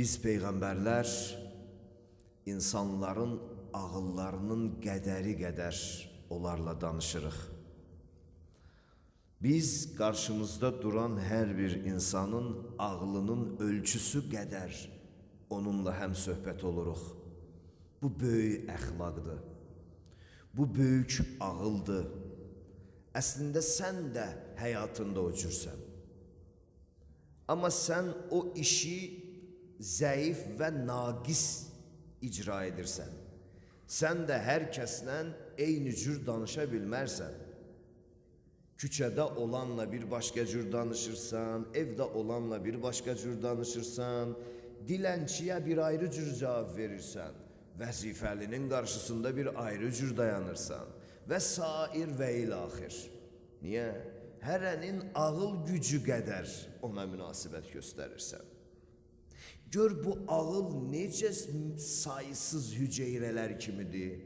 Biz peyğəmbərlər insanların ağıllarının qədəri qədər onlarla danışırıq. Biz qarşımızda duran hər bir insanın ağlının ölçüsü qədər onunla həm söhbət oluruq. Bu böyük əxlaqdır. Bu böyük ağıldır. Əslində sən də həyatında o cürsən. Amma sən o işi zəif və naqis icra edirsən. Sən də hər kəslə eyni cür danışa bilmərsən. Küçədə olanla bir başqa cür danışırsan, evdə olanla bir başqa cür danışırsan, dilənçiyə bir ayrı cür cavab verirsən, vəzifəlinin qarşısında bir ayrı cür dayanırsan və sair və ilaxir. Niyə? Hərənin ağıl gücü qədər ona münasibət göstərirsən. Gör bu ağıl necə sayısız hüceyrələr kimidir.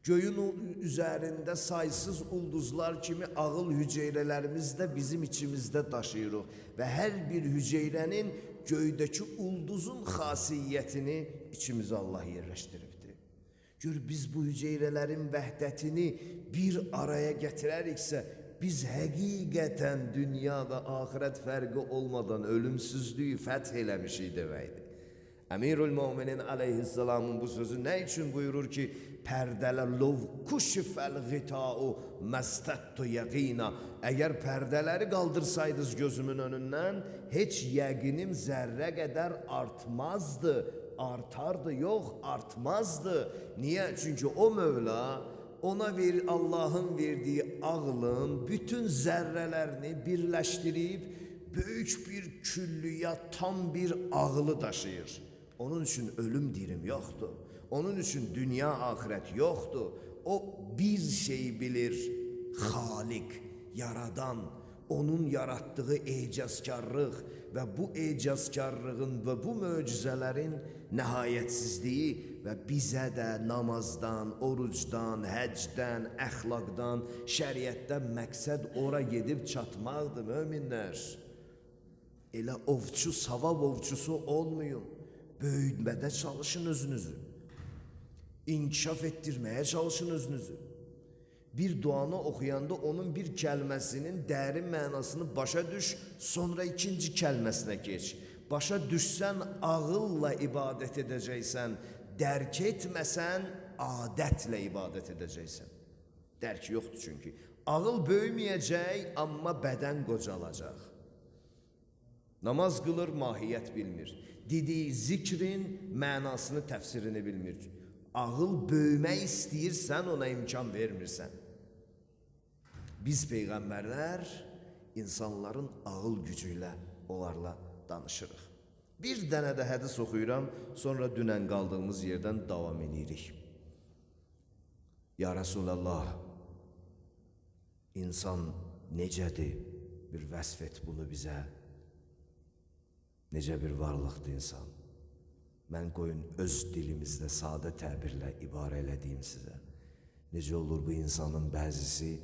Göyün üzərində saysız ulduzlar kimi ağıl hüceyrələrimiz də bizim içimizdə daşıyırıq və hər bir hüceyrənin göydəki ulduzun xasiyyətini içimizə Allah yerləşdiribdir. Gör biz bu hüceyrələrin vəhdətini bir araya gətirəriksə, biz həqiqətən dünya və axirət fərqi olmadan ölümsüzlüyü fəth eləmişik deməkdir. Əmirül Möminin aleyhisselamın bu sözü nə üçün buyurur ki, pərdələr lov kuşifəl qita'u məstəttu yəqina. Əgər pərdələri qaldırsaydınız gözümün önündən, heç yəqinim zərrə qədər artmazdı. Artardı, yox, artmazdı. Niyə? Çünki o Mövla ona Allah'ın verdiği ağlın bütün zərrələrini birləşdirib böyük bir küllüya tam bir ağlı daşıyır. Onun üçün ölüm dirim yoxdur. Onun üçün dünya ahirət yoxdur. O bir şey bilir, Xalik, yaradan, onun yarattığı ecazkarlıq və bu ecazkarlığın və bu möcüzələrin nəhayətsizliyi və bizə də namazdan, orucdan, həcdən, əxlaqdan, şəriətdən məqsəd ora gedib çatmaqdır möminlər. Elə ovçu, savab ovçusu olmayın. Böyütmədə çalışın özünüzü. İnkişaf etdirməyə çalışın özünüzü. Bir duanı oxuyanda onun bir kəlməsinin dərin mənasını başa düş, sonra ikinci kəlməsinə geç. Başa düşsən, ağılla ibadət edəcəksən, dərk etməsən, adətlə ibadət edəcəksən. Dərk yoxdur çünki. Ağıl böyüməyəcək, amma bədən qocalacaq. Namaz qılır, mahiyyət bilmir. Dediyi zikrin mənasını, təfsirini bilmir. Ağıl böyümək istəyirsən, ona imkan vermirsən. Biz peyğəmbərlər insanların ağıl gücü ilə onlarla danışırıq. Bir dənə də hədis oxuyuram, sonra dünən qaldığımız yerdən davam edirik. Ya Resulallah, insan necədir? Bir vəsf et bunu bizə. Necə bir varlıqdır insan? Mən qoyun öz dilimizdə sadə təbirlə ibarə elədiyim sizə. Necə olur bu insanın bəzisi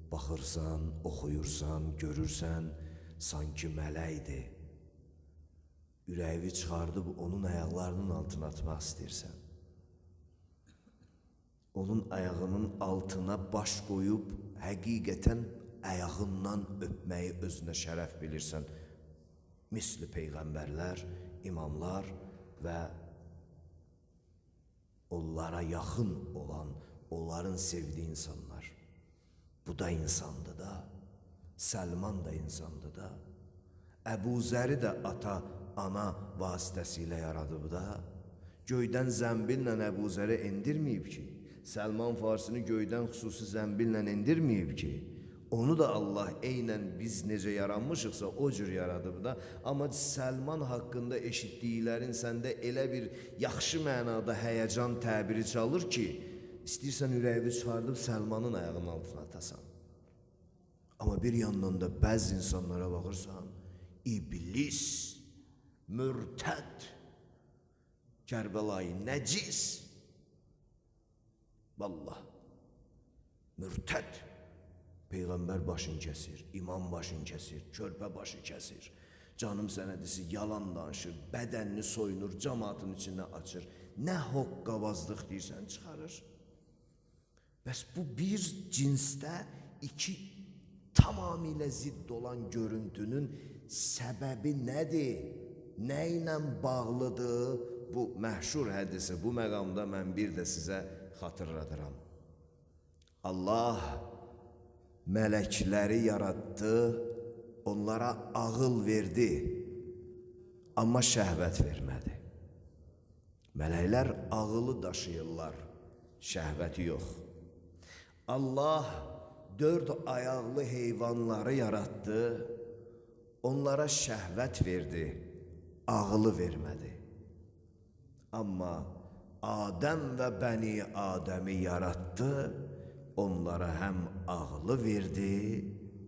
baxırsan, oxuyursan, görürsən, sanki mələkdir. Ürəyi çıxardıb onun ayaqlarının altına atmaq istəyirsən. Onun ayağının altına baş qoyub həqiqətən ayağından öpməyi özünə şərəf bilirsən. Misli peyğəmbərlər, imamlar və onlara yaxın olan, onların sevdiyi insanlar. Bu da insandır da, Səlman da insandır da, Əbu Zəri də ata, ana vasitəsilə yaradıb da, göydən zəmbillə Əbu Zəri endirməyib ki, Səlman Farsını göydən xüsusi zəmbillə endirməyib ki, onu da Allah eynən biz necə yaranmışıqsa o cür yaradıb da, amma Səlman haqqında eşitdiklərin səndə elə bir yaxşı mənada həyəcan təbiri çalır ki, istəyirsən ürəyi çıxardıb Səlmanın ayağının altına atasan. Amma bir yandan da bəzi insanlara baxırsan, iblis, mürtəd, Kərbəlayı nəcis, vallah, mürtəd. Peyğəmbər başını kəsir, imam başını kəsir, körpə başı kəsir. Canım sənədisi yalan danışır, bədənini soyunur, cəmaatın içindən açır. Nə hoqqabazlıq deyirsən çıxarır. Bəs bu bir cinsdə iki tamamilə zidd olan görüntünün səbəbi nədir? Nə ilə bağlıdır? Bu məhşur hədisi bu məqamda mən bir də sizə xatırladıram. Allah mələkləri yaratdı, onlara ağıl verdi, amma şəhvət vermədi. Mələklər ağılı daşıyırlar, şəhvəti yox. Allah 4 ayaqlı heyvanları yaratdı, onlara şəhvət verdi, ağılı vermədi. Amma Adəm və Bəni Adəmi yaratdı, onlara həm ağılı verdi,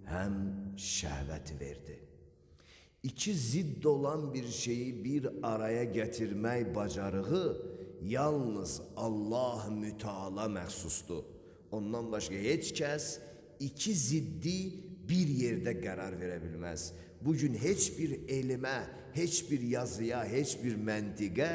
həm şəhvəti verdi. İki zidd olan bir şeyi bir araya getirmək bacarığı yalnız Allah müteala məxsusdur. Ondan başqa heç kəs iki ziddi bir yerdə qərar verə bilməz. Bugün heç bir elmə, heç bir yazıya, heç bir məntiqə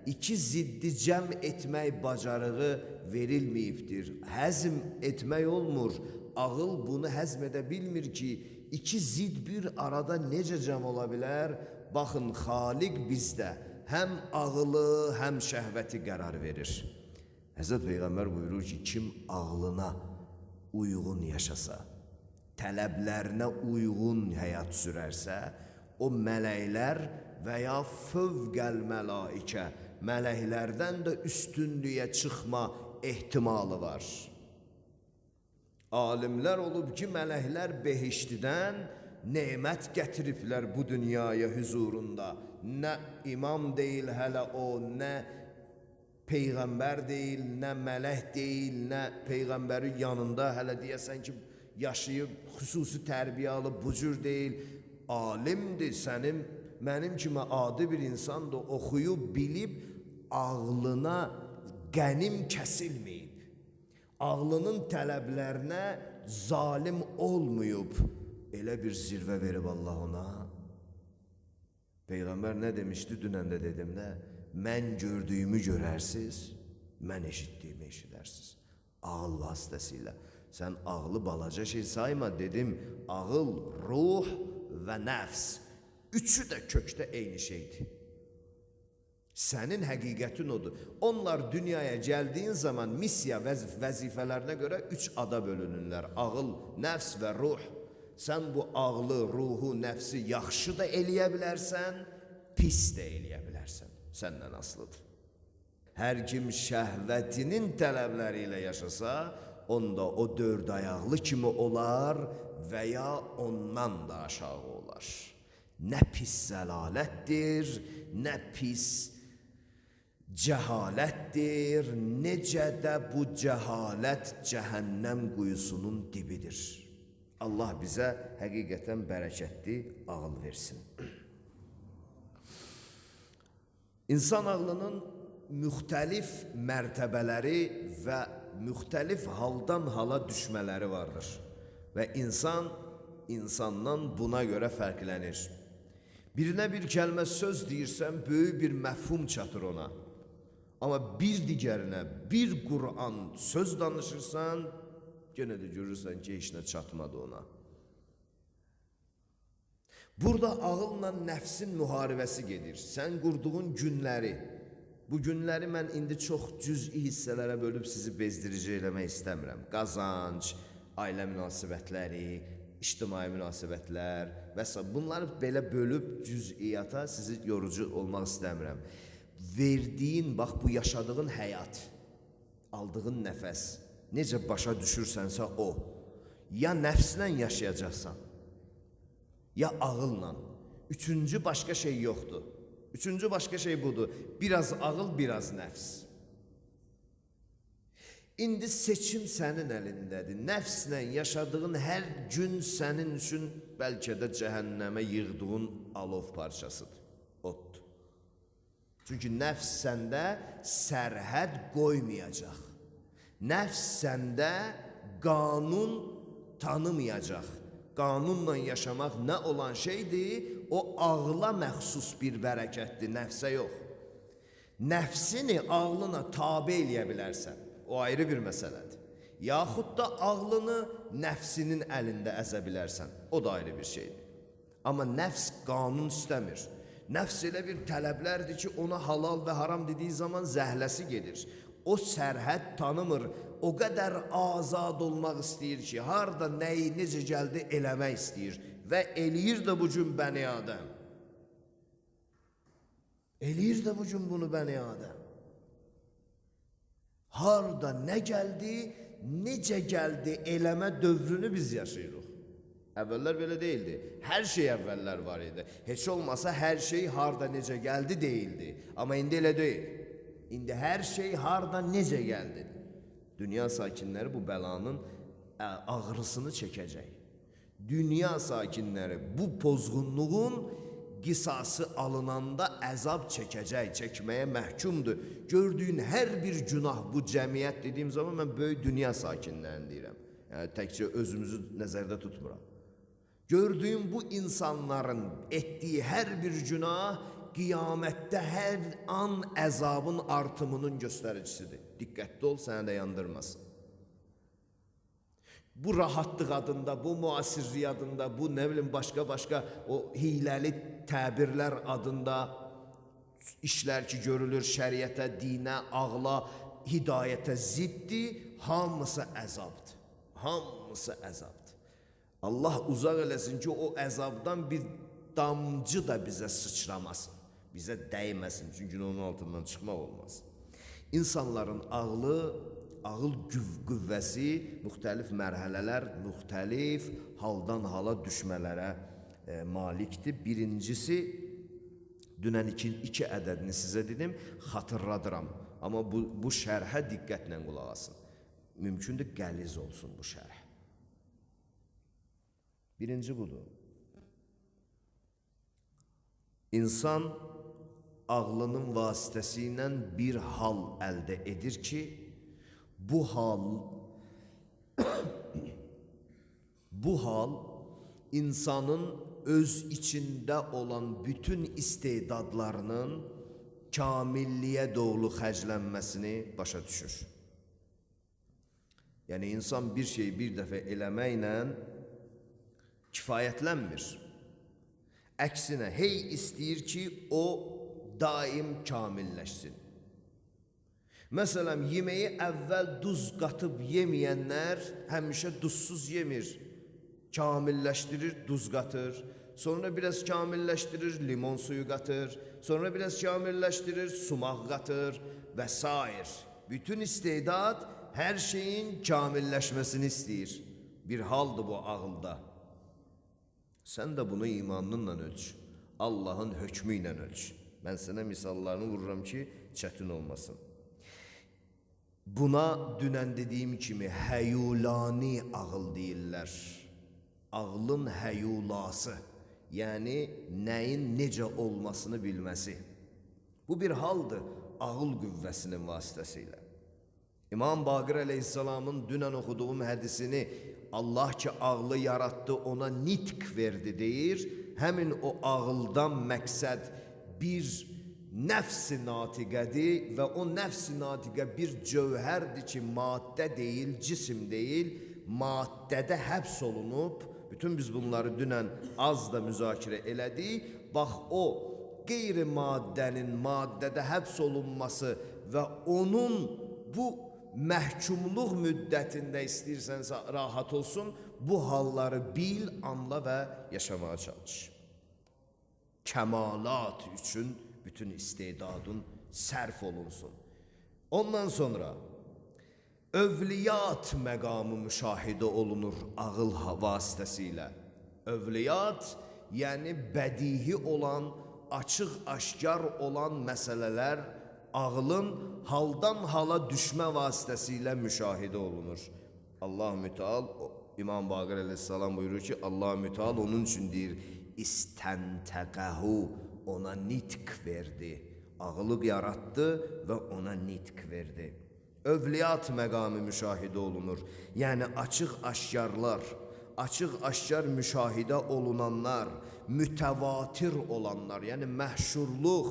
iki ziddi cəm etmək bacarığı verilməyibdir. Həzm etmək olmur. Ağıl bunu həzm edə bilmir ki, iki zid bir arada necə cəm ola bilər? Baxın, Xaliq bizdə həm ağılı, həm şəhvəti qərar verir. Həzrət Peyğəmbər buyurur ki, kim ağlına uyğun yaşasa, tələblərinə uyğun həyat sürərsə, o mələklər və ya fövqəl məlaikə, mələklərdən də üstünlüyə çıxma ehtimalı var. Alimlər olub ki, mələklər behiştidən nemət gətiriblər bu dünyaya huzurunda. Nə imam deyil hələ o, nə Peyğəmbər deyil, nə mələk deyil, nə Peyğəmbərin yanında hələ deyəsən ki, yaşayıb, xüsusi tərbiyə alıb, bu cür deyil. Alimdir, sənin, mənim kimi adi bir insandır, oxuyub, bilib, ağlına qənim kəsilməyib. Ağlının tələblərinə zalim olmayıb. Elə bir zirvə verib Allah ona. Peyğəmbər nə demişdi, dünən də dedim də, mən gördüyümü görərsiz, mən eşitdiyimi eşidərsiz. Ağıl vasitəsilə. Sən ağlı balaca şey sayma, dedim, ağıl, ruh və nəfs. Üçü də kökdə eyni şeydir. Sənin həqiqətin odur. Onlar dünyaya gəldiyin zaman missiya vəzifələrinə görə 3 ada bölünürlər. Ağıl, nəfs və ruh. Sən bu ağlı, ruhu, nəfsi yaxşı da eləyə bilərsən, pis də eləyə bilərsən. Səndən asılıdır. Hər kim şəhvətinin tələbləri ilə yaşasa, onda o 4 ayaqlı kimi olar və ya ondan da aşağı olar. Nə pis zəlalətdir, nə pis cəhalətdir, necə də bu cəhalət cəhənnəm quyusunun dibidir. Allah bizə həqiqətən bərəkətli ağıl versin. İnsan ağlının müxtəlif mərtəbələri və müxtəlif haldan hala düşmələri vardır. Və insan, insandan buna görə fərqlənir. Birinə bir kəlmə söz deyirsən, böyük bir məfhum çatır ona. Amma bir digərinə, bir Qur'an söz danışırsan, yenə də görürsən ki, heç nə çatmadı ona. Burada ağılla nəfsin müharibəsi gedir. Sən qurduğun günləri, bu günləri mən indi çox cüz'i hissələrə bölüb sizi bezdirici eləmək istəmirəm. Qazanc, ailə münasibətləri, ictimai münasibətlər və s. Bunları belə bölüb cüz'iyyata sizi yorucu olmaq istəmirəm. Verdiyin, bax bu yaşadığın həyat, aldığın nəfəs, necə başa düşürsənsə o, ya nəfslə yaşayacaqsan, ya ağılla. Üçüncü başqa şey yoxdur. Üçüncü başqa şey budur. Biraz ağıl, biraz nəfs. İndi seçim sənin əlindədir. Nəfslə yaşadığın hər gün sənin üçün bəlkə də cəhənnəmə yığdığın alov parçasıdır, oddur. Çünki nəfs səndə sərhəd qoymayacaq. Nəfs səndə qanun tanımayacaq. qanunla yaşamaq nə olan şeydir? O ağla məxsus bir bərəkətdir, nəfsə yox. Nəfsini ağlına tabe eləyə bilərsən, o ayrı bir məsələdir. Yaxud da ağlını nəfsinin əlində əzə bilərsən, o da ayrı bir şeydir. Amma nəfs qanun istəmir. Nəfs elə bir tələblərdir ki, ona halal və haram dediyi zaman zəhləsi gedir. O sərhəd tanımır, o qədər azad olmaq istəyir ki, harda nəyi, necə gəldi eləmək istəyir və eləyir də bu gün bəni Adəm. Eləyir də bu gün bunu bəni Adəm. Harda nə gəldi, necə gəldi eləmə dövrünü biz yaşayırıq. Əvvəllər belə deyildi. Hər şey əvvəllər var idi. Heç olmasa hər şey harda necə gəldi deyildi. Amma indi elə deyil. İndi hər şey harda necə gəldi. Dünya sakinləri bu bəlanın ağrısını çəkəcək. Dünya sakinləri bu pozğunluğun qisası alınanda əzab çəkəcək, çəkməyə məhkumdur. Gördüyün hər bir günah bu cəmiyyət dediyim zaman mən böyük dünya sakinlərini deyirəm. Yəni təkcə özümüzü nəzərdə tutmuram. Gördüyüm bu insanların etdiyi hər bir günah qiyamətdə hər an əzabın artımının göstəricisidir. Diqqətli ol, səni də yandırmasın. Bu rahatlıq adında, bu müasirlik adında, bu nə bilim başqa o hiləli təbirlər adında işlər ki görülür şəriətə, dinə, ağla, hidayətə ziddir, hamısı əzabdır. Hamısı əzabdır. Allah uzaq eləsin ki, o əzabdan bir damcı da bizə sıçramasın, bizə dəyməsin, çünki onun altından çıxmaq olmaz. İnsanların ağıl qüvvəsi müxtəlif mərhələlər, müxtəlif haldan hala düşmələrə malikdir. Birincisi, dünən iki ədədini sizə dedim, xatırladıram. Amma bu şərhə diqqətlə qulaq asın. Mümkündür qəliz olsun bu şərh. Birinci budur. İnsan ağlının vasitəsilə bir hal əldə edir ki, bu hal insanın öz içində olan bütün istedadlarının kamilliyə doğru xərclənməsini başa düşür. Yəni insan bir şeyi bir dəfə eləməklə kifayətlənmir. Əksinə, hey istəyir ki, o daim kamilləşsin. Məsələn, yeməyi əvvəl duz qatıb yeməyənlər həmişə duzsuz yemir. Kamilləşdirir, duz qatır. Sonra biraz kamilləşdirir, limon suyu qatır. Sonra biraz kamilləşdirir, sumaq qatır və s. Bütün istedad hər şeyin kamilləşməsini istəyir. Bir haldır bu ağılda. Sən də bunu imanınla ölç. Allahın hökmü ilə ölç. Mən sənə misallarını vururam ki, çətin olmasın. Buna dünən dediyim kimi həyulani ağıl deyirlər. Ağlın həyulası, yəni nəyin necə olmasını bilməsi. Bu bir haldır ağıl qüvvəsinin vasitəsilə. İmam Baqir əleyhissalamın dünən oxuduğum hədisini Allah ki ağlı yarattı ona nitq verdi deyir. Həmin o ağıldan məqsəd bir nəfs-i natiqədir və o nəfs-i natiqə bir cövhərdir ki maddə deyil, cisim deyil, maddədə həbs olunub. Bütün biz bunları dünən az da müzakirə elədik. Bax o qeyri-maddənin maddədə həbs olunması və onun bu məhkumluq müddətində istəyirsənsə rahat olsun, bu halları bil, anla və yaşamaya çalış. Kəmalat üçün bütün istedadın sərf olunsun. Ondan sonra övliyat məqamı müşahidə olunur ağıl vasitəsilə. Övliyat, yəni bədihi olan, açıq-aşkar olan məsələlər ağılın haldan hala düşmə vasitəsilə müşahidə olunur. Allah müteal, İmam Baqir əleyhissalam buyurur ki, Allah müteal onun üçün deyir, İstəntəqəhu, ona nitq verdi. Ağılı yaratdı və ona nitq verdi. Övliyat məqamı müşahidə olunur. Yəni açıq-aşkarlar, açıq aşkar müşahidə olunanlar, mütəvatir olanlar, yəni məhşurluq.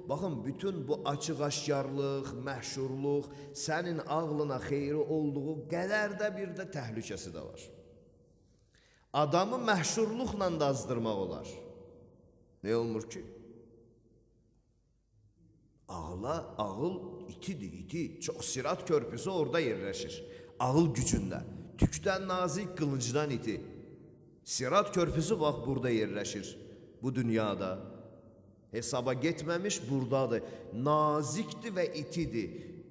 Baxın, bütün bu açıq aşkarlıq, məhşurluq sənin ağlına xeyri olduğu qədər də bir də təhlükəsi də var. Adamı məhşurluqla da azdırmaq olar. Ne olmur ki? Ağıl itidir, iti. Çox sirat körpüsü orada yerləşir. Ağıl gücündə. Tükdən nazik, qılıncdan iti. Sirat körpüsü bax burada yerləşir. Bu dünyada. Hesaba getməmiş buradadır. Nazikdir və itidir.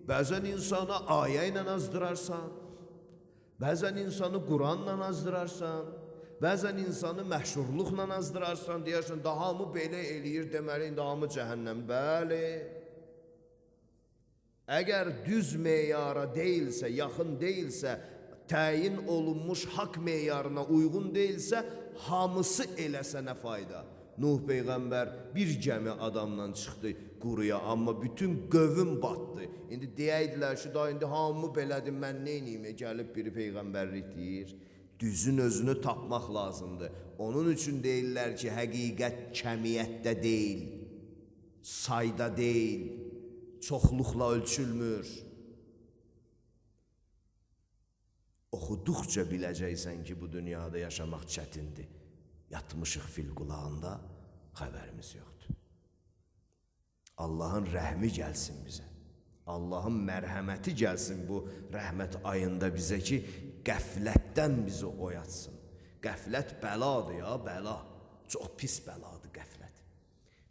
Bəzən insanı ayə ilə azdırarsan. Bəzən insanı Quranla azdırarsan. Bəzən insanı məhşurluqla azdırarsan. Deyərsən, daha mı belə eləyir deməli, daha mı cəhənnəm? Bəli. Əgər düz meyara deyilsə, yaxın deyilsə, təyin olunmuş haqq meyarına uyğun deyilsə, hamısı eləsə nə fayda? Nuh Peyğəmbər bir gəmi adamla çıxdı quruya, amma bütün qövüm batdı. İndi deyirdilər ki, da indi hamı belədir, mən neyniyim? Gəlib biri Peyğəmbərlik deyir. Düzün özünü tapmaq lazımdır. Onun üçün deyirlər ki, həqiqət kəmiyyətdə deyil, sayda deyil, çoxluqla ölçülmür. Oxuduqca biləcəksən ki, bu dünyada yaşamaq çətindir. Yatmışıq fil qulağında, xəbərimiz yoxdur. Allahın rəhmi gəlsin bizə. Allahın mərhəməti gəlsin bu rəhmət ayında bizə ki, qəflətdən bizi oyatsın. Qəflət bəladır ya, bəla. Çox pis bəladır qəflət.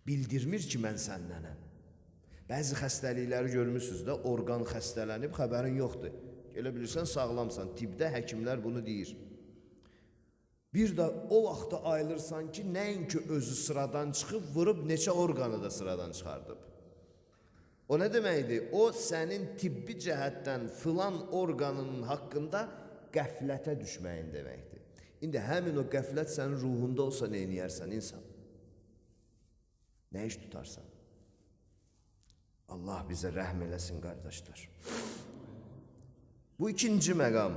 Bildirmir ki, mən səndənəm. Bəzi xəstəlikləri görmüsünüz də, orqan xəstələnib, xəbərin yoxdur. Elə bilirsən, sağlamsan. Tibbdə həkimlər bunu deyir. Bir də o vaxtda ayılırsan ki, nəinki özü sıradan çıxıb, vurub neçə orqanı da sıradan çıxardıb. O nə deməkdir? O, sənin tibbi cəhətdən filan orqanının haqqında qəflətə düşməyin deməkdir. İndi həmin o qəflət sənin ruhunda olsa nə eləyərsən insan? Nə iş tutarsan? Allah bizə rəhm eləsin, qardaşlar. Bu ikinci məqam.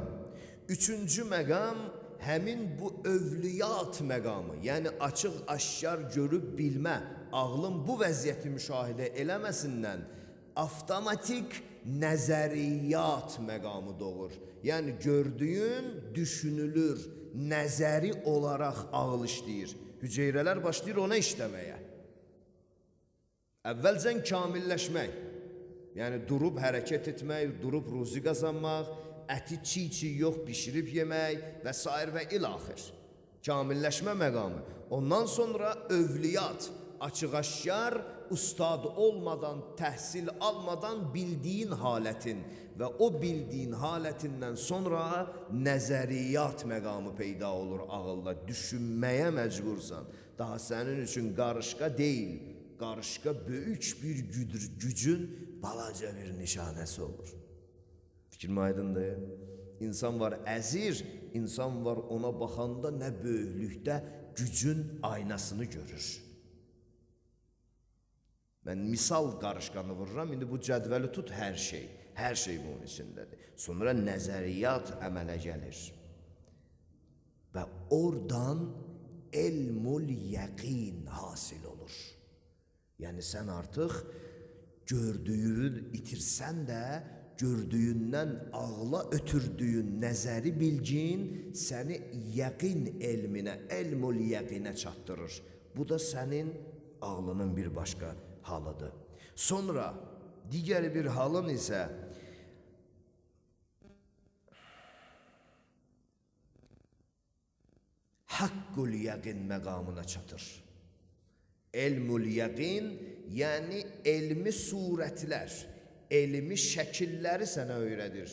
Üçüncü məqam, həmin bu övliyat məqamı, yəni açıq aşkar görüb bilmə, ağlın bu vəziyyəti müşahidə eləməsindən avtomatik nəzəriyyat məqamı doğur. Yəni gördüyün düşünülür, nəzəri olaraq ağıl işləyir. Hüceyrələr başlayır ona işləməyə. Əvvəlcən kamilləşmək, yəni durub hərəkət etmək, durub ruzi qazanmaq, əti çiğ-çiğ yox, bişirib yemək və s. və ilaxır. Kamilləşmə məqamı. Ondan sonra övliyat, açıq-aşkar, ustad olmadan, təhsil almadan bildiyin halətin və o bildiyin halətindən sonra nəzəriyyat məqamı peyda olur ağılda. Düşünməyə məcbursan. Daha sənin üçün qarışqa deyil, qarışqa böyük bir gücün balaca bir nişanəsi olur. Fikrim aydındır. İnsan var əzir, insan var ona baxanda nə böyüklükdə gücün aynasını görür. Mən misal qarışqanı vururam, indi bu cədvəli tut hər şey bunun içindədir. Sonra nəzəriyyat əmələ gəlir. Və oradan elmul yəqin hasil olur. Yəni sən artıq gördüyünü itirsən də, gördüyündən ağla ötürdüyün nəzəri bilgin səni yəqin elminə, elmul yəqinə çatdırır. Bu da sənin ağlının bir başqa halıdır. Sonra digər bir halın isə haqqul yəqin məqamına çatır. Elmul yəqin, yəni elmi surətlər, elmi şəkilləri sənə öyrədir.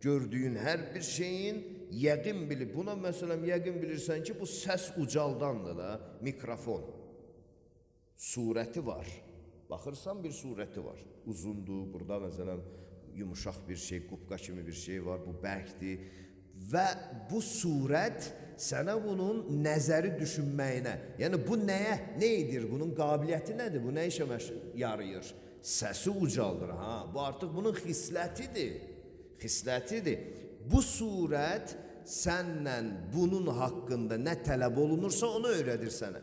Gördüyün hər bir şeyin yəqin bilib. Buna məsələn yəqin bilirsən ki, bu səs ucaldandır da, mikrofon. Surəti var. Baxırsan bir surəti var. Uzundur, burada məsələn yumuşaq bir şey, qupqa kimi bir şey var, bu bərkdir. Və bu surət sənə bunun nəzəri düşünməyinə, yəni bu nəyə, nə edir, bunun qabiliyyəti nədir, bu nə işə yarayır? Səsi ucaldır, bu artıq bunun xislətidir. Bu surət səndən bunun haqqında nə tələb olunursa onu öyrədir sənə.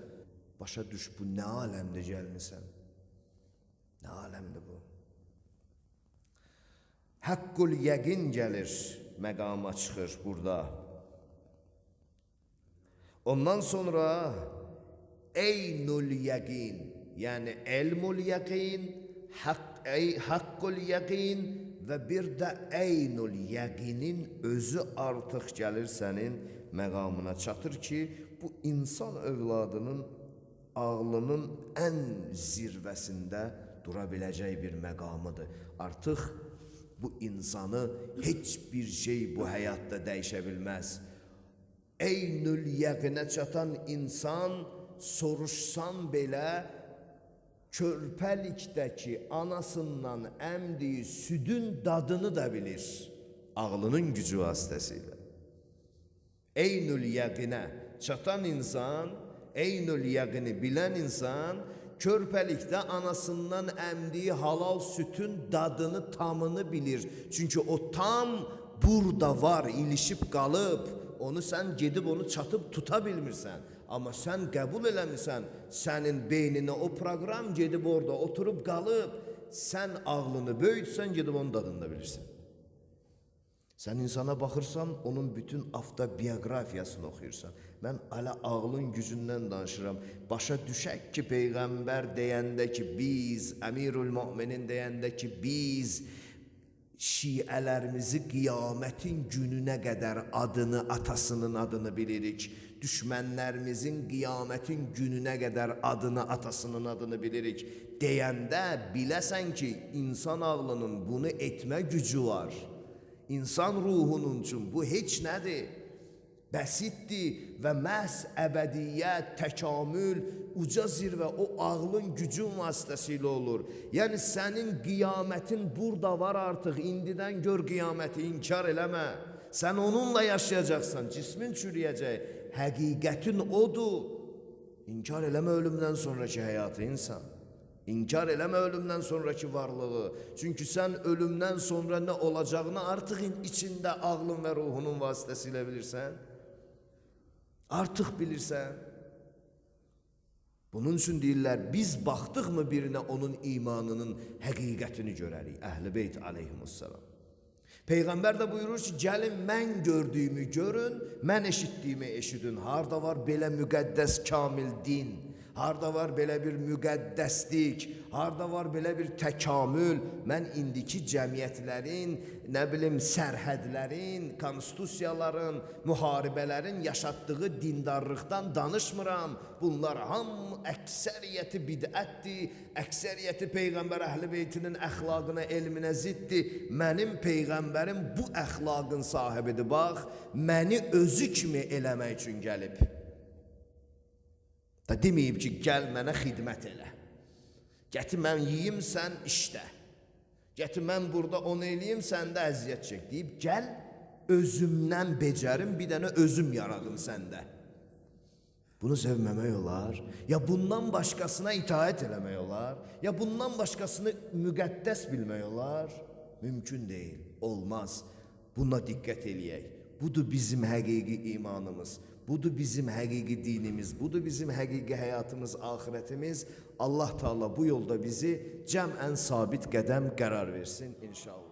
Başa düş, bu nə aləmdə gəlmisən? Nə aləmdir bu? Haqqul yəqin gəlir, məqama çıxır burada. Ondan sonra eynul yəqin, yəni elmul yəqin, haqqul yəqin və bir də eynul yəqinin özü artıq gəlir sənin məqamına çatır ki, bu insan övladının ağlının ən zirvəsində dura biləcək bir məqamıdır. Artıq bu insanı heç bir şey bu həyatda dəyişə bilməz. Eynül yəqinə çatan insan soruşsan belə körpəlikdəki anasından əmdiyi südün dadını da bilir ağlının gücü vasitəsilə. Eynül yəqinə çatan insan, eynül yəqini bilən insan körpəlikdə anasından əmdiyi halal sütün dadını, tamını bilir. Çünki o tam burada var, ilişib qalıb. Onu sən gedib onu çatıb tuta bilmirsən. Amma sən qəbul eləmirsən, sənin beyninə o proqram gedib orada oturub qalıb. Sən ağlını böyütsən, gedib onun dadını da bilirsən. Sən insana baxırsan, onun bütün avtobiografiyasını oxuyursan. Mən hələ ağlın gücündən danışıram. Başa düşək ki, Peyğəmbər deyəndə ki, biz, Əmirül Möminin deyəndə ki, biz şiələrimizi qiyamətin gününə qədər adını, atasının adını bilirik. Düşmənlərimizin qiyamətin gününə qədər adını, atasının adını bilirik. Deyəndə biləsən ki, insan ağlının bunu etmə gücü var. İnsan ruhunun üçün bu heç nədir? Bəsitdir və məhz əbədiyyət, təkamül, uca zirvə o ağlın gücün vasitəsilə olur. Yəni sənin qiyamətin burada var artıq, indidən gör qiyaməti, inkar eləmə. Sən onunla yaşayacaqsan, cismin çürüyəcək, həqiqətin odur. İnkar eləmə ölümdən sonraki həyatı insan. İnkar eləmə ölümdən sonraki varlığı. Çünki sən ölümdən sonra nə olacağını artıq içində ağlın və ruhunun vasitəsilə bilirsən. Artıq bilirsən. Bunun üçün deyirlər, biz baxdıqmı birinə onun imanının həqiqətini görərik. Əhl-i Beyt aleyhimussalam. Peyğəmbər də buyurur ki, gəlin mən gördüyümü görün, mən eşitdiyimi eşidin. Harda var belə müqəddəs kamil din? Harda var belə bir müqəddəslik, harda var belə bir təkamül. Mən indiki cəmiyyətlərin, nə bilim, sərhədlərin, konstitusiyaların, müharibələrin yaşatdığı dindarlıqdan danışmıram. Bunlar hamı əksəriyyəti bidətdir, əksəriyyəti Peyğəmbər Əhl-i Beytinin əxlaqına, elminə ziddir. Mənim Peyğəmbərim bu əxlaqın sahibidir, bax, məni özü kimi eləmək üçün gəlib. Da deməyib ki, gəl mənə xidmət elə. Gəti mən yiyim, sən işlə. Gəti mən burada onu eləyim, sən də əziyyət çək. Deyib, gəl özümdən becərim, bir dənə özüm yaradım səndə. Bunu sevməmək olar. Ya bundan başqasına itaət eləmək olar. Ya bundan başqasını müqəddəs bilmək olar. Mümkün deyil, olmaz. Buna diqqət eləyək. Budur bizim həqiqi imanımız. Budur bizim həqiqi dinimiz, budur bizim həqiqi həyatımız, axirətimiz. Allah Teala bu yolda bizi cəmən sabit qədəm qərar versin inşallah.